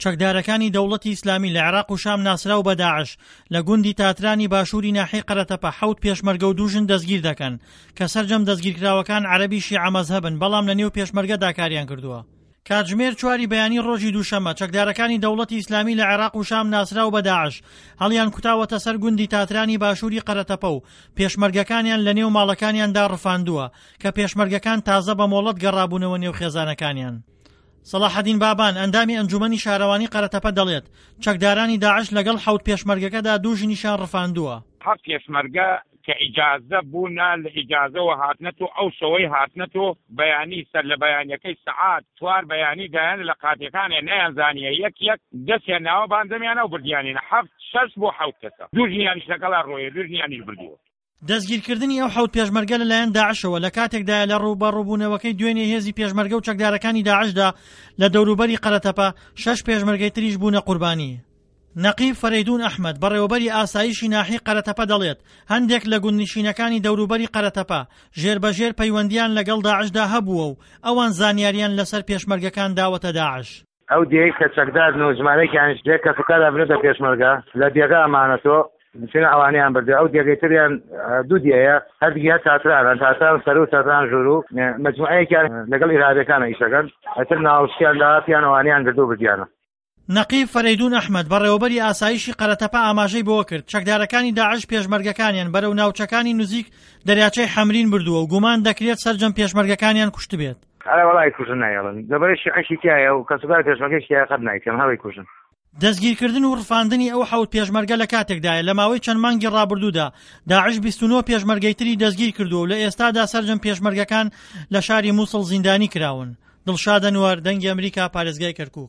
چەکدارەکانی دەوڵەتی ئیسلامی لە عێراق و شام ناسراو بە داعش لە گوندی تاترانی باشووری ناحیەی قەرەتەپە حەوت پێشمەرگە و دوو ژن دەستگیر دەکەن کە سەرجەم دەستگیرکراوەکان عەرەبی شیعە مەزهەبن بەڵام لە نێو پێشمەرگەدا کاریان کردووە. کاتژمێر چواری بەیانی ڕۆژی دووشەممە چەکدارەکانی دەوڵەتی ئیسلامی لە عێراق و شام ناسراو بە داعش هەڵیان کوتاوەتە سەر گوندی تاترانی باشووری قەرەتەپە و پێشمەرگەکانیان لە نێو ماڵەکانیاندا ڕفاندووە کە پێشمەرگەکان تازە بە مۆڵەت گەڕابوونەوە نێو خێزانەکانیان. سەڵاحەدین بابان، ئەندامی ئەنجوومەنی شارەوانی قەرەتەپە دەڵێت، چەکدارانی داعش لەگەڵ حەوت پێشمەرگەکەدا دوو ژنیشیان ڕفاندووە. حەفت پێشمەرگە کە ئیجازە بوونە لە ئیجازەوە هاتنەتۆ ئەو شەوەی هاتنەتۆ بەیانی سەر لە بەیانیەکەی سەعات چوار بەیانی دایان لە قاتیەکانێ نەیان زانیە یەک یەک دەسیان ناوە بان دەمیانە و بردیانینە حەفت شەش بۆ حەوت کەسە دوو ژنیانیش لەگەڵا ڕۆیە دوو ژنیانیش بردووە. دەستگیرکردنی ئەو حەوت پێشمەرگە لەلایەن داعشەوە لە کاتێکدایە لە ڕووبەڕووبوونەوەکەی دوێنێ هێزی پێشمەرگە و چەکدارەکانی داعشدا لە دەوروبەری قەرەتەپە شەش پێشمەرگەی تریش بوونە قوربانی. نەقیب فەرەیدوون ئەحمەد، بەڕێوەبەری ئاسایشی ناحیەی قەرەتەپە دەڵێت، هەندێک لە گوندنشینەکانی دەوروبەری قەرەتەپە ژێربەژێر پەیوەندییان لەگەڵ داعشدا هەبووە و ئەوان زانیارییان لەسەر پێشمەرگەکان داوەتە داعش. ئەو دێیەی کە چەکدارن و ژمارەیەکیانیش لێ کەسوکاریان بردووەتە پێشمەرگە لە دێگا مانەتۆ چونە ئەوانەیان بردووە ئەو دێگەی تریان دوو دێیە هەردووکی هەر تاترانن تاتران سەرو و تاتران ژوورو مەجموعەیەکیان لەگەڵ ئیرهابیەکانە ئیشەکەن ئەتر ناوشتیان دا پیان ئەوانەیان گردو بردیانە. نەقیب فەرەیدوون ئەحمەد، بەڕێوەبەری ئاسایشی قەرەتەپە ئاماژەی بەوەکرد، چەکدارەکانی داعش پێشمەرگەکانیان بەرەو ناوچەکانی نزیک دەریاچەی حەمرین بردووە و گومان دەکرێت سەرجەم پێشمەرگەکانیان کوشتبێت. ئەرێ وەڵا ئەیکوژن نایەڵن لەبەرەی شیعەشی تیایە و کەسوکاری پێشمەرگەیش تیایە قەت نایکەن هەر ئەیکوژن. دەستگیرکردن و ڕفاندنی ئەو حەوت پێشمەرگە لە کاتێکدایە لە ماوەی چەند مانگی ڕابردوودا داعش 29 پێشمەرگەی تری دەستگیر کردووە و لە ئێستادا سەرجەم پێشمەرگەکان لە شاری موسڵ زیندانی کراون. دڵشاد ئەنوەر، دەنگی ئەمریکا، پارێزگای کەرکوک.